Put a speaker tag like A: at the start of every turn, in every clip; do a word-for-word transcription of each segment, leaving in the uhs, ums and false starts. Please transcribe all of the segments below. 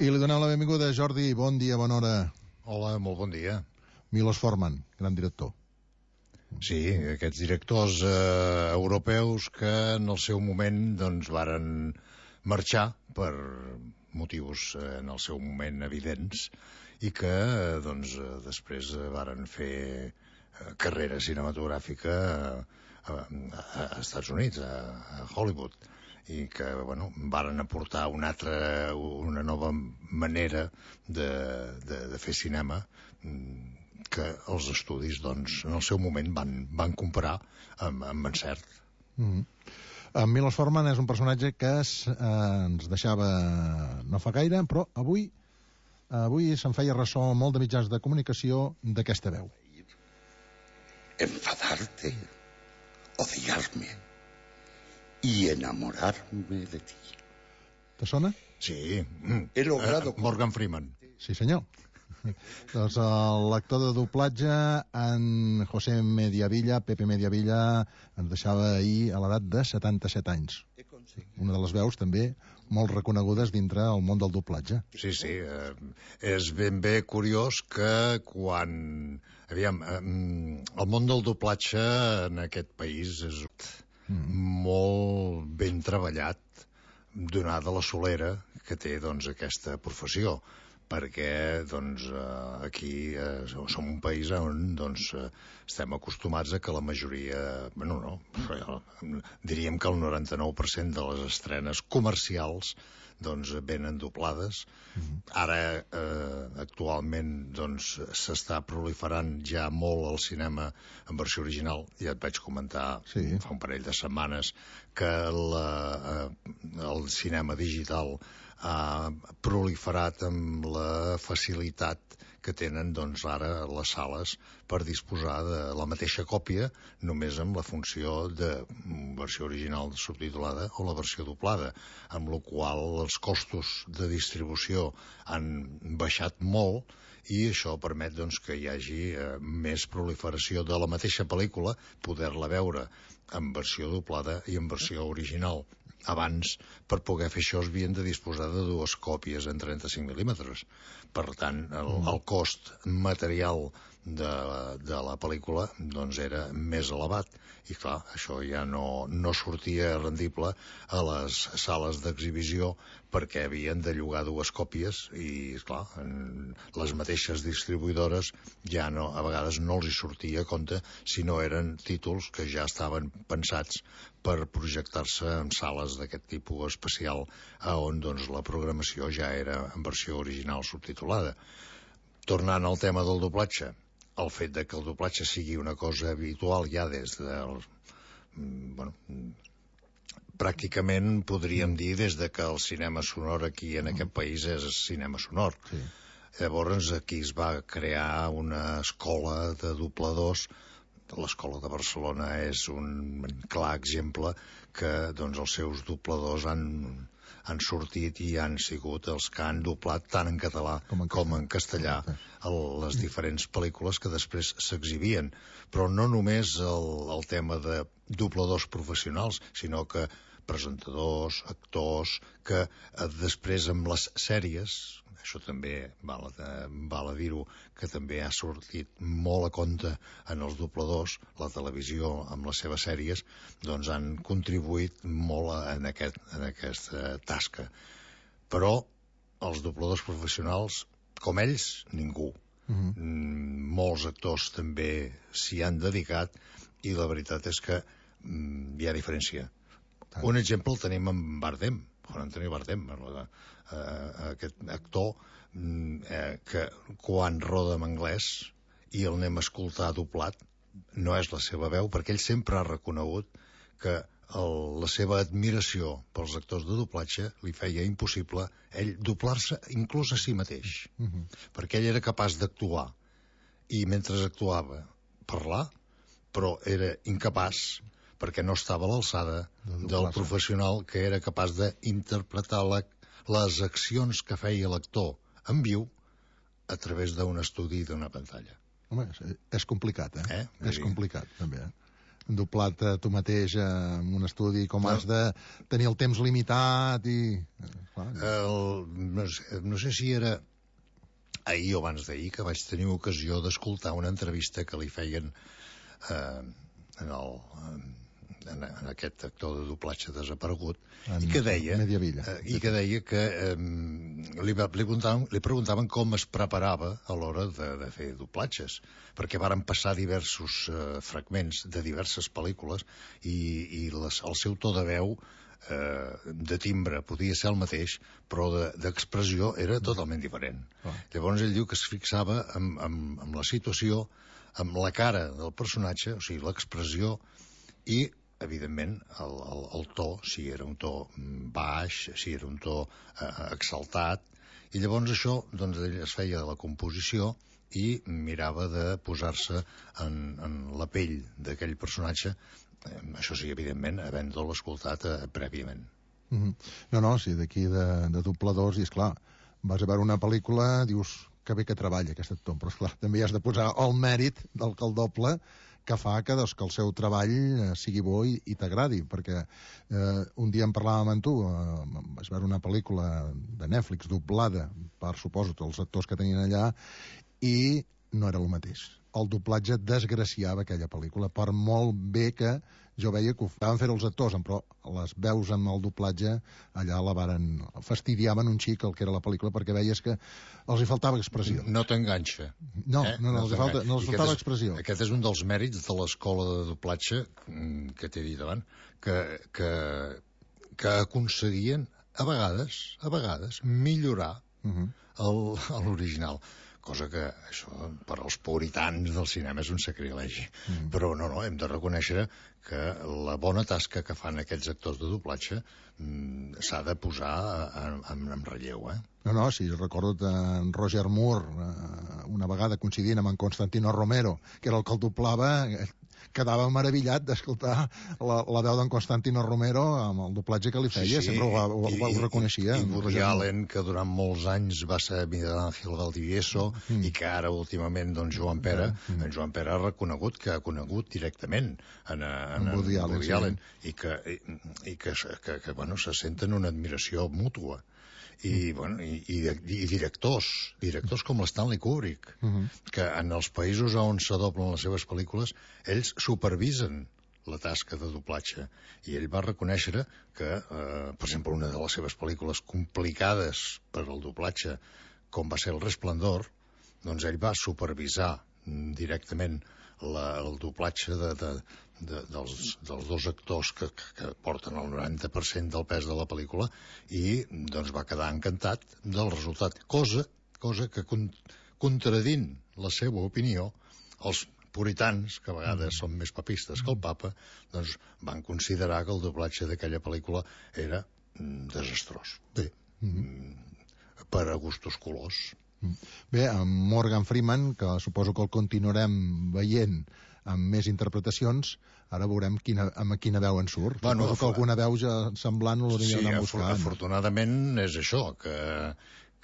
A: I li donem la benvinguda a Jordi. Bon dia, bona hora.
B: Hola, molt bon dia.
A: Milos Forman, gran director.
B: Sí, aquests directors eh, europeus que en el seu moment doncs varen marxar per motius eh, en el seu moment evidents i que eh, doncs eh, després eh, varen fer eh, carrera cinematogràfica eh, a, a, a Estats Units, a, a Hollywood, i que bueno, varen aportar una altra, una nova manera de, de, de fer cinema que els estudis doncs, en el seu moment van, van comparar amb, amb encert.
A: Mm-hmm. En Milos Forman és un personatge que es, eh, ens deixava no fa gaire, però avui avui se'n feia ressò molt de mitjans de comunicació d'aquesta veu.
C: Enfadarte, odiarme y enamorarme de ti.
B: ¿Te sona? Sí.
C: He logrado...
B: Uh, Morgan Freeman.
A: Sí, senyor. Doncs l'actor de doblatge, en José Mediavilla, Pepe Mediavilla, ens deixava ahir a l'edat de setanta-set anys. Una de les veus també molt reconegudes dintre el món del doblatge.
B: Sí, sí. Eh, és ben bé curiós que quan... Aviam, eh, el món del doblatge en aquest país és mm. molt ben treballat, donada la solera que té doncs, aquesta professió, perquè doncs, aquí eh, som un país on doncs, estem acostumats a que la majoria, bueno, no, diríem que el noranta-nou per cent de les estrenes comercials doncs, venen doblades. Mm-hmm. Ara, eh, actualment, doncs, s'està proliferant ja molt el cinema en versió original. Ja et vaig comentar sí. fa un parell de setmanes que la, eh, el cinema digital ha proliferat amb la facilitat que tenen doncs, ara les sales per disposar de la mateixa còpia, només amb la funció de versió original subtitulada o la versió doblada, amb la qual els costos de distribució han baixat molt i això permet doncs, que hi hagi eh, més proliferació de la mateixa pel·lícula, poder-la veure en versió doblada i en versió original. Abans, per poder fer això, es havien de disposar de dues còpies en trenta-cinc mil·límetres. Per tant, el, el cost material de, de la pel·lícula doncs, era més elevat. I clar, això ja no, no sortia rendible a les sales d'exhibició perquè havien de llogar dues còpies i, clar, les mateixes distribuïdores ja no, a vegades no els hi sortia a compte si no eren títols que ja estaven pensats per projectar-se en sales d'aquest tipus especial on doncs, la programació ja era en versió original subtitulada. Tornant al tema del doblatge, el fet de que el doblatge sigui una cosa habitual ja des de... Bueno, pràcticament podríem dir des de que el cinema sonor aquí en aquest país és cinema sonor. Sí. Llavors aquí es va crear una escola de dobladors. L'Escola de Barcelona és un clar exemple que doncs, els seus dobladors han, han sortit i han sigut els que han doblat tant en català com en, com en castellà el, les diferents pel·lícules que després s'exhibien. Però no només el, el tema de dobladors professionals, sinó que presentadors, actors, que eh, després amb les sèries, això també val a, val a dir-ho, que també ha sortit molt a compte en els dobladors, la televisió amb les seves sèries, doncs han contribuït molt en, aquest, en aquesta tasca. Però els dobladors professionals, com ells, ningú. Uh-huh. Mm, molts actors també s'hi han dedicat i la veritat és que mm, hi ha diferència. Un exemple el tenim en Bardem, Juan Antonio Bardem, eh, aquest actor eh, que quan roda en anglès i el anem a escoltar doblat, no és la seva veu, perquè ell sempre ha reconegut que el, la seva admiració pels actors de doblatge li feia impossible ell doblar-se inclús a si mateix, uh-huh. perquè ell era capaç d'actuar i mentre actuava parlar, però era incapaç perquè no estava a l'alçada de del professional que era capaç d'interpretar la, les accions que feia l'actor en viu a través d'un estudi d'una pantalla.
A: Home, és complicat, eh? eh? És complicat, també, eh? doblat a tu mateix en un estudi, com has de tenir el temps limitat i... Clar.
B: El, no, sé, no sé si era ahir o abans d'ahir que vaig tenir ocasió d'escoltar una entrevista que li feien eh, en, el, en, en aquest actor de doblatge desaparegut, en i que deia eh, i que deia que eh, li, li, preguntaven, li preguntaven com es preparava a l'hora de, de fer doblatges, perquè varen passar diversos eh, fragments de diverses pel·lícules i, i les, el seu to de veu eh, de timbre podia ser el mateix, però d'expressió de, era totalment diferent. Ah. Llavors ell diu que es fixava en, en, en la situació, amb la cara del personatge, o sigui, l'expressió, i, evidentment, el, el, el to, si era un to baix, si era un to eh, exaltat, i llavors això, doncs, ell es feia de la composició i mirava de posar-se en, en la pell d'aquell personatge, eh, això sí, evidentment, havent-lo escoltat eh, prèviament.
A: Mm-hmm. No, no, sí, d'aquí de, de dobladors, i esclar, vas a veure una pel·lícula, dius que bé que treballa aquest actor, però esclar, també has de posar el mèrit del que el doble que fa que, doncs, que el seu treball eh, sigui bo i, i t'agradi, perquè eh, un dia en parlàvem amb tu, eh, vas veure una pel·lícula de Netflix doblada per, suposo, els actors que tenien allà, i no era el mateix. El doblatge desgraciava aquella pel·lícula, per molt bé que jo veia que ho van fer els actors, però les veus amb el doblatge allà la varen fastidiaven un xic el que era la pel·lícula, perquè veies que els hi faltava expressió.
B: No t'enganxa.
A: No, eh? no, no, no, els, falta, no els faltava
B: és,
A: expressió.
B: Aquest és un dels mèrits de l'escola de doblatge que t'he dit abans, que, que, que aconseguien a vegades, a vegades, millorar uh-huh. l'original. Cosa que això per als puritans del cinema és un sacrilegi. Mm. Però no, no, hem de reconèixer que la bona tasca que fan aquests actors de doblatge mm, s'ha de posar en, en, en relleu, eh?
A: No, no, sí, recordo en Roger Moore, eh, una vegada coincidint amb en Constantino Romero, que era el que el doblava, quedava meravellat d'escoltar la, la veu d'en Constantino Romero amb el doblatge que li feia, sí, sí, sempre ho, ho, ho reconeixia.
B: I, i Woody Allen, que durant molts anys va ser Miguel Ángel Valdivieso, mm. i que ara últimament, doncs, Joan Pera, mm. en Joan Pera ha reconegut que ha conegut directament en, en, en, en Woody Allen, Woody Allen sí. i, que, i, i que, que, que bueno, se senten una admiració mútua. I, bueno, i, i, i directors, directors com l'Stanley Kubrick, uh-huh. que en els països on s'adoblen les seves pel·lícules, ells supervisen la tasca de doblatge. I ell va reconèixer que, eh, per exemple, una de les seves pel·lícules complicades per al doblatge, com va ser El Resplendor, doncs ell va supervisar directament la, el doblatge de, de, de, dels, dels dos actors que, que porten el noranta per cent del pes de la pel·lícula i doncs va quedar encantat del resultat, cosa, cosa que con, contradint la seva opinió, els puritans, que a vegades mm. són més papistes que el papa, doncs van considerar que el doblatge d'aquella pel·lícula era mm, desastrós. Bé, mm. per a gustos colors.
A: Bé, amb Morgan Freeman, que suposo que el continuarem veient amb més interpretacions, ara veurem quina, amb quina veu en surt. Bueno, suposo que alguna veu ja semblant l'hauria d'anar buscant.
B: Sí, afortunadament és això, que,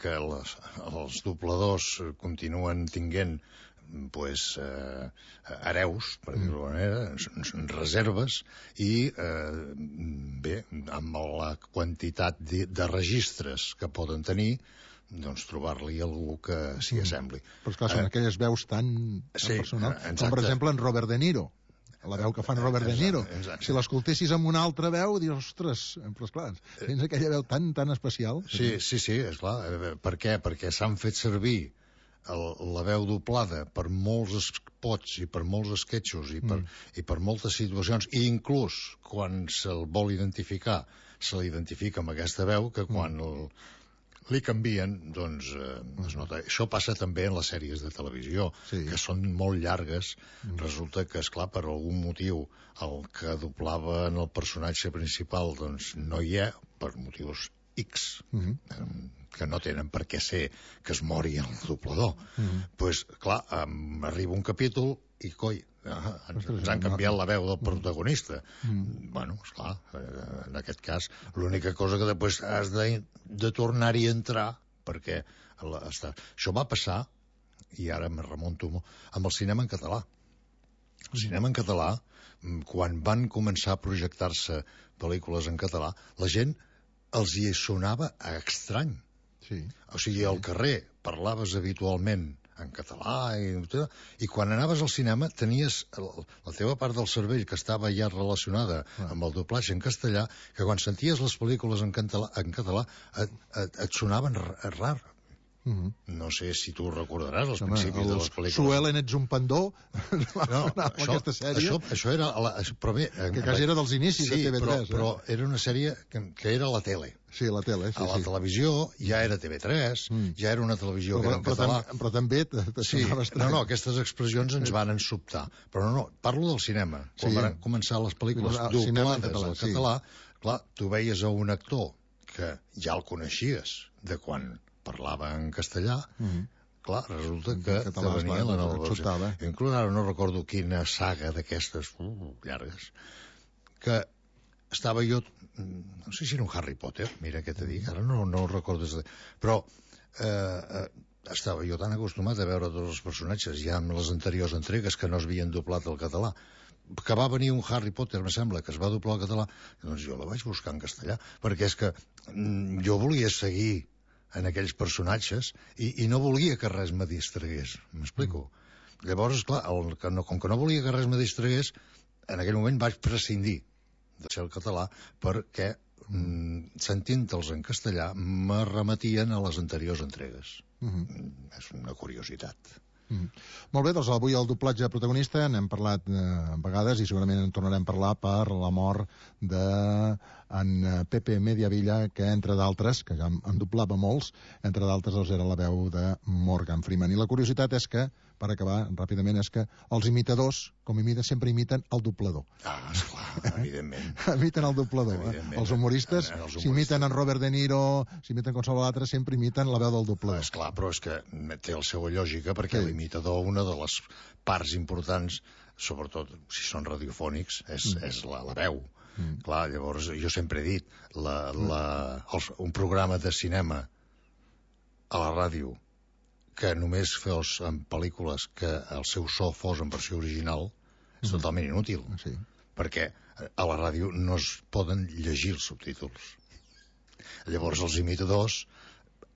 B: que les, els dobladors continuen tinguent pues, eh, hereus, per dir-ho d'alguna manera, reserves, i eh, bé, amb la quantitat de, de registres que poden tenir, doncs trobar-li algú que s'hi assembli.
A: Però esclar, són eh? aquelles veus tan, tan sí, personals, exacte. Com per exemple en Robert De Niro, la veu que fan Robert exacte, De Niro. Exacte. Si l'escoltessis amb una altra veu, dius, ostres, però esclar, tens aquella veu tan, tan especial.
B: Sí, sí, sí, esclar. Per què? Perquè s'han fet servir el, la veu doblada per molts spots i per molts esquetxos i per, mm. i per moltes situacions, i inclús quan se'l vol identificar, se l'identifica amb aquesta veu, que quan mm. el li canvien, doncs eh, es nota. Això passa també en les sèries de televisió, sí. que són molt llargues. Mm. Resulta que, esclar, per algun motiu, el que doblava en el personatge principal doncs no hi ha, per motius X, mm-hmm. eh, que no tenen per què ser que es mori el doblador. Mm-hmm. Pues, clar, um, arriba un capítol i, coi, ah, ens, ens han canviat la veu del protagonista. Mm. Bueno, esclar, en aquest cas, l'única cosa que després has de, de tornar-hi a entrar, perquè la, està... això va passar, i ara me remonto molt, amb el cinema en català. El cinema en català, quan van començar a projectar-se pel·lícules en català, la gent els hi sonava estrany.
A: Sí.
B: O sigui, al carrer parlaves habitualment en català i, i quan anaves al cinema tenies el, la teva part del cervell que estava ja relacionada ah. amb el doblatge en castellà, que quan senties les pel·lícules en català, en català et, et, et sonaven rar. Uh -huh. No sé si tu recordaràs els Home, principis de les pel·lícules.
A: Suelen, ets un pendó.
B: No, això, aquesta sèrie. Això, això era... La, però bé,
A: que quasi era dels inicis
B: sí,
A: de T V tres.
B: Però, eh? però era una sèrie que, que era a la tele.
A: Sí, a la tele, sí.
B: A la
A: sí.
B: televisió ja era T V tres, mm. ja era una televisió
A: però,
B: que era en
A: però
B: català.
A: Tam, però també...
B: Sí, no, no, aquestes expressions ens van sobtar. Però no, no, parlo del cinema. Quan sí. van començar les pel·lícules doblades al català, sí. clar, tu veies a un actor que ja el coneixies de quan parlava en castellà, mm -hmm. clar, resulta que te venia la nova versió. Inclús ara no recordo quina saga d'aquestes uh, llargues, que estava jo, no sé si era un Harry Potter, mira què te dic, ara no, no ho recordo, però eh, eh, estava jo tan acostumat a veure tots els personatges ja amb les anteriors entregues que no es havien doblat al català, que va venir un Harry Potter, em sembla, que es va doblar al català, doncs jo la vaig buscar en castellà, perquè és que mm, jo volia seguir en aquells personatges i, i no volia que res me distragués, m'explico? Mm. Llavors, clar, el, que no, com que no volia que res me distragués, en aquell moment vaig prescindir de ser el català perquè, mm, sentint-los en castellà, me remetien a les anteriors entregues. Mm-hmm. És una curiositat.
A: Mm. Molt bé, doncs avui el doblatge protagonista n'hem parlat eh, a vegades i segurament en tornarem a parlar per la mort de en Pepe Mediavilla, que entre d'altres, que ja en doblava molts, entre d'altres doncs era la veu de Morgan Freeman. I la curiositat és que, per acabar ràpidament, és que els imitadors, com imiten, sempre imiten el doblador.
B: Ah, esclar, evidentment.
A: Imiten el doblador. Eh? Els humoristes, eh, els si imiten en Robert De Niro, si imiten qualsevol altre, sempre imiten la veu del doblador.
B: Ah, esclar, però és que té la seva lògica, perquè sí. L'imitador, una de les parts importants, sobretot si són radiofònics, és, mm. és la, la veu. Mm. Clar, llavors jo sempre he dit la, la, els, un programa de cinema a la ràdio que només fos en pel·lícules que el seu so fos en versió original és mm. totalment inútil, sí. perquè a la ràdio no es poden llegir els subtítols. Llavors els imitadors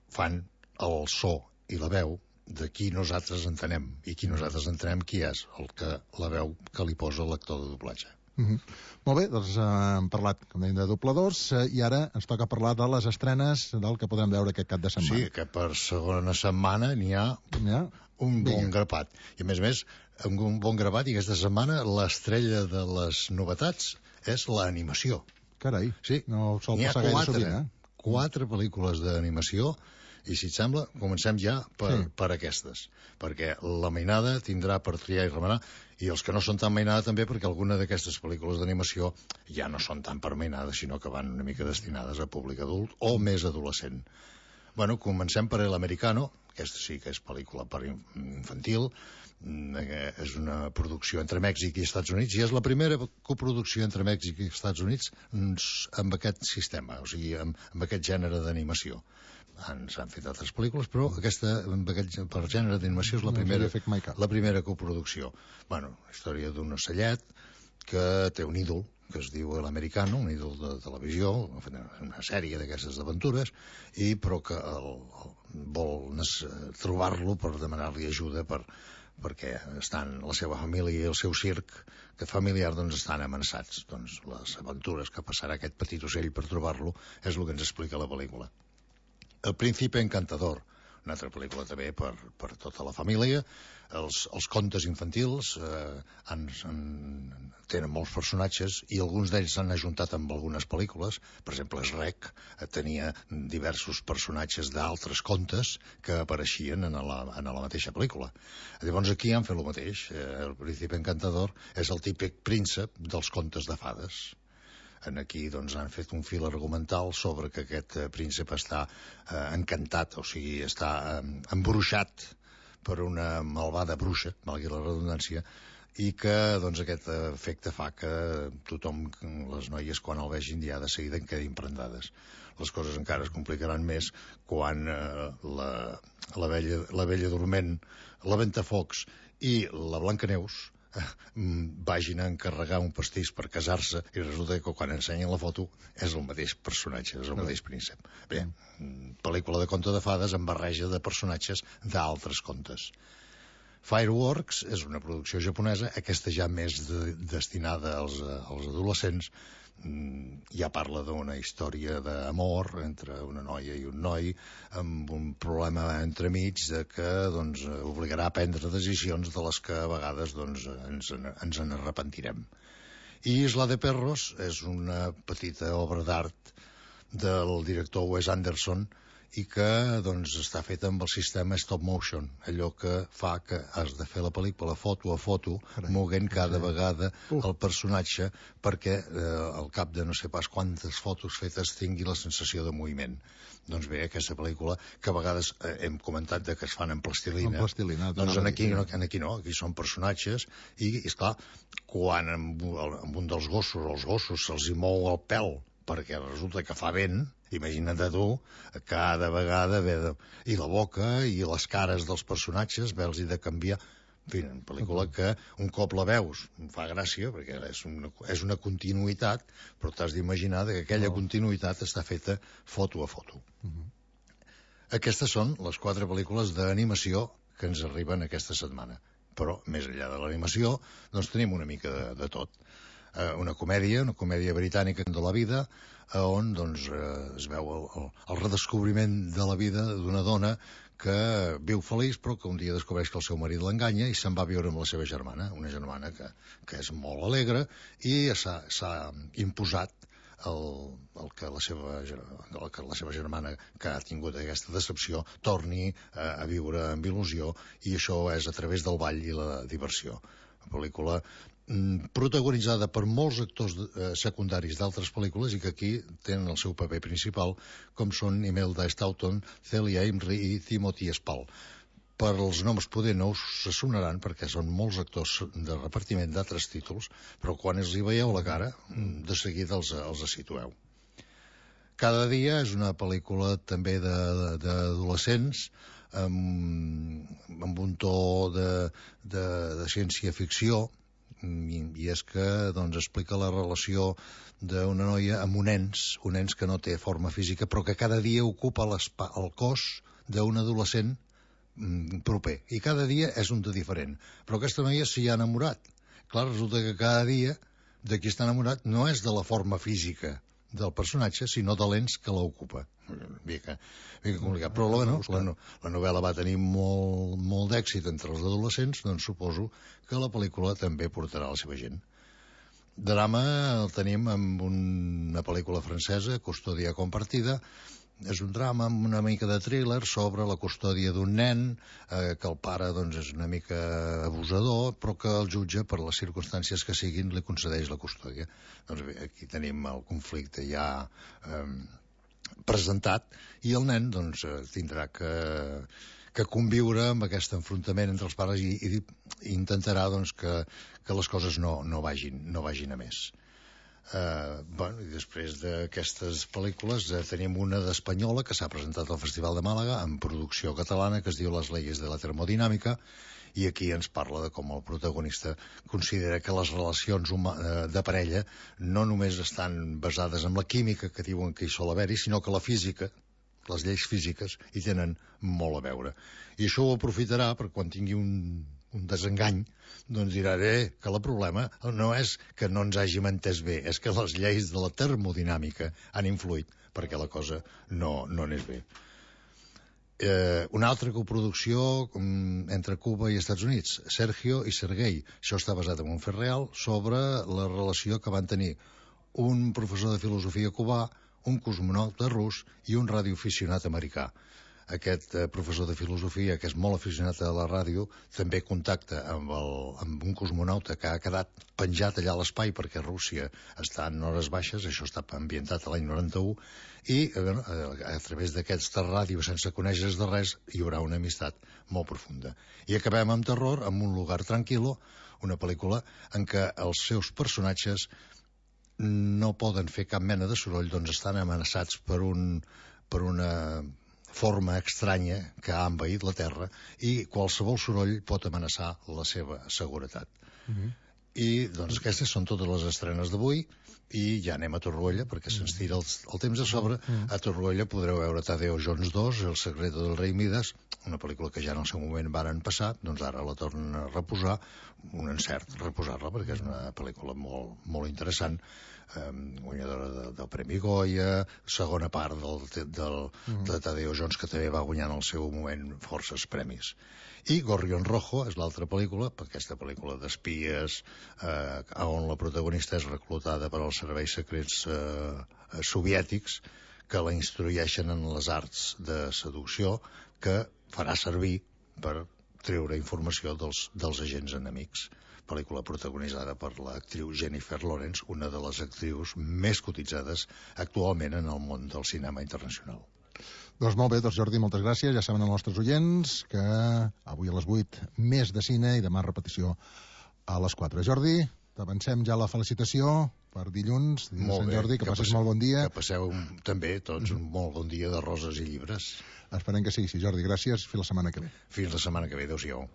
B: fan el so i la veu de qui nosaltres entenem, i qui nosaltres entenem qui és el que la veu que li posa l'actor de doblatge.
A: Mm-hmm. Molt bé, doncs eh, hem parlat, com dèiem, de dobladors eh, i ara ens toca parlar de les estrenes del que podrem veure aquest cap de setmana.
B: Sí, que per segona setmana n'hi ha, ha un bon Vinga. grapat. I a més a més, un bon grapat, i aquesta setmana l'estrella de les novetats és l'animació.
A: Carai,
B: sí.
A: no sol passar gaire sovint, eh?
B: Quatre pel·lícules d'animació. I si et sembla, comencem ja per, sí. per aquestes, perquè la mainada tindrà per triar i remenar, i els que no són tan mainada també, perquè alguna d'aquestes pel·lícules d'animació ja no són tan per mainada, sinó que van una mica destinades a públic adult o més adolescent. Bueno, comencem per El Americano, aquesta sí que és pel·lícula per infantil, és una producció entre Mèxic i Estats Units, i és la primera coproducció entre Mèxic i Estats Units amb aquest sistema, o sigui, amb, amb aquest gènere d'animació. S'han fet altres pel·lícules, però aquesta, per gènere d'animació, és la primera, la primera coproducció. Bueno, la història d'un ocellet que té un ídol, que es diu l'Americano, un ídol de televisió, una sèrie d'aquestes aventures, i però que el, el, vol trobar-lo per demanar-li ajuda per, perquè estan la seva família i el seu circ que familiar doncs estan amenaçats. Doncs les aventures que passarà aquest petit ocell per trobar-lo és el que ens explica la pel·lícula. El Príncipe Encantador, una altra pel·lícula també per, per tota la família. Els, els contes infantils eh, han, han, tenen molts personatges i alguns d'ells s'han ajuntat amb algunes pel·lícules. Per exemple, Shrek eh, tenia diversos personatges d'altres contes que apareixien en la, en la mateixa pel·lícula. Llavors aquí han fet el mateix. Eh, el Príncipe Encantador és el típic príncep dels contes de fades. En aquí doncs, han fet un fil argumental sobre que aquest eh, príncep està eh, encantat, o sigui, està eh, embruixat per una malvada bruixa, malgrat la redundància, i que doncs, aquest efecte fa que tothom, les noies, quan el vegin ja de seguida en quedin prendades. Les coses encara es complicaran més quan eh, la, la, vella, la vella dorment, la Ventafocs i la Blancaneus vagin a encarregar un pastís per casar-se i resulta que quan ensenyen la foto és el mateix personatge, és el mateix príncep. Bé, pel·lícula de conte de fades amb barreja de personatges d'altres contes. Fireworks és una producció japonesa, aquesta ja més de, destinada als, als adolescents. Ja parla d'una història d'amor entre una noia i un noi amb un problema entremig de que doncs, obligarà a prendre decisions de les que a vegades doncs, ens, ens en arrepentirem. I Isla de Perros és una petita obra d'art del director Wes Anderson i que doncs, està feta amb el sistema stop motion, allò que fa que has de fer la pel·lícula foto a foto, moguent cada vegada el personatge perquè eh, al cap de no sé pas quantes fotos fetes tingui la sensació de moviment. Doncs bé, aquesta pel·lícula, que a vegades eh, hem comentat de que es fan en plastilina,
A: en plastilina
B: doncs en aquí, no, en aquí no, aquí són personatges, i, i esclar, quan amb, amb un dels gossos, els gossos se'ls hi mou el pèl, perquè resulta que fa vent, imagina't a tu, cada vegada ve de... i la boca i les cares dels personatges, veus i de canviar. En fi, una pel·lícula que un cop la veus fa gràcia, perquè és una, és una continuïtat, però t'has d'imaginar que aquella oh. continuïtat està feta foto a foto. Uh -huh. Aquestes són les quatre pel·lícules d'animació que ens arriben aquesta setmana. Però, més enllà de l'animació, doncs tenim una mica de, de tot. Una comèdia, una comèdia britànica de la vida, on doncs, es veu el, el, el redescobriment de la vida d'una dona que viu feliç però que un dia descobreix que el seu marit l'enganya i se'n va a viure amb la seva germana, una germana que, que és molt alegre i s'ha imposat el, el, que la seva, el que la seva germana, que ha tingut aquesta decepció, torni a, a viure amb il·lusió, i això és a través del ball i la diversió. Una pel·lícula protagonitzada per molts actors eh, secundaris d'altres pel·lícules i que aquí tenen el seu paper principal, com són Imelda Staunton, Celia Imrie i Timothy Spall. Per els noms poder no us sonaran perquè són molts actors de repartiment d'altres títols, però quan els hi veieu la cara, de seguida els, els situeu. Cada dia és una pel·lícula també d'adolescents, amb, amb un to de, de, de ciència-ficció, I, i és que doncs, explica la relació d'una noia amb un ens, un ens que no té forma física, però que cada dia ocupa el cos d'un adolescent mm, proper, i cada dia és un de diferent. Però aquesta noia s'hi ha enamorat. Clar, resulta que cada dia de qui està enamorat no és de la forma física del personatge, sinó de l'ens que l'ocupa. Mica, mica complicat. Però bueno, la, la novel·la va tenir molt, molt d'èxit entre els adolescents, doncs suposo que la pel·lícula també portarà la seva gent. Drama el tenim amb una pel·lícula francesa, Custòdia compartida. És un drama amb una mica de thriller sobre la custòdia d'un nen, eh, que el pare doncs, és una mica abusador, però que el jutge, per les circumstàncies que siguin, li concedeix la custòdia. Doncs bé, aquí tenim el conflicte ja eh, presentat, i el nen doncs, tindrà que, que conviure amb aquest enfrontament entre els pares i, i, i intentarà doncs, que, que les coses no, no, vagin, no vagin a més. Uh, bueno, i després d'aquestes pel·lícules uh, tenim una d'espanyola que s'ha presentat al Festival de Màlaga en producció catalana, que es diu Les leyes de la termodinàmica, i aquí ens parla de com el protagonista considera que les relacions uh, de parella no només estan basades en la química que diuen que hi sol haver-hi, sinó que la física, les lleis físiques, hi tenen molt a veure. I això ho aprofitarà per quan tingui un, un desengany, doncs dirà eh, que el problema no és que no ens hàgim entès bé, és que les lleis de la termodinàmica han influït perquè la cosa no, no anés bé. Eh, una altra coproducció um, entre Cuba i Estats Units, Sergio i Sergei. Això està basat en un fet real sobre la relació que van tenir un professor de filosofia cubà, un cosmonauta rus i un radioaficionat americà. Aquest eh, professor de filosofia, que és molt aficionat a la ràdio, també contacta amb, el, amb un cosmonauta que ha quedat penjat allà a l'espai perquè Rússia està en hores baixes, això està ambientat a l'any noranta-u, i eh, a través d'aquesta ràdio, sense conèixer de res, hi haurà una amistat molt profunda. I acabem amb terror, amb Un lugar tranquilo, una pel·lícula en què els seus personatges no poden fer cap mena de soroll, doncs estan amenaçats per, un, per una forma estranya que ha envaït la Terra, i qualsevol soroll pot amenaçar la seva seguretat. Uh-huh. I, doncs, aquestes són totes les estrenes d'avui, i ja anem a Torroella, perquè se'ns tira el, el temps a sobre. Mm. A Torroella podreu veure Tadeo Jones dos, El secreto del rei Midas, una pel·lícula que ja en el seu moment varen passar, doncs ara la tornen a reposar, un encert reposar-la, perquè és una pel·lícula molt, molt interessant, eh, guanyadora de, del Premi Goya, segona part del, del, mm. de Tadeo Jones, que també va guanyar en el seu moment forces premis. I Gorrión Rojo és l'altra pel·lícula, aquesta pel·lícula d'espies, eh, on la protagonista és reclutada per als serveis secrets eh, soviètics, que la instrueixen en les arts de seducció, que farà servir per treure informació dels, dels agents enemics. Pel·lícula protagonitzada per l'actriu Jennifer Lawrence, una de les actrius més cotitzades actualment en el món del cinema internacional.
A: Doncs molt bé, doncs Jordi, moltes gràcies. Ja saben els nostres oients que avui a les vuit més de cine i demà repetició a les quatre. Jordi, t'avancem ja la felicitació per dilluns, dia de Sant Jordi, que, que passis passeu, molt bon dia.
B: Que passeu un, també tots un molt bon dia de roses i llibres.
A: Esperem que sigui així, Jordi. Gràcies. Fins la setmana que ve.
B: Fins la setmana que ve. Adéu-siau.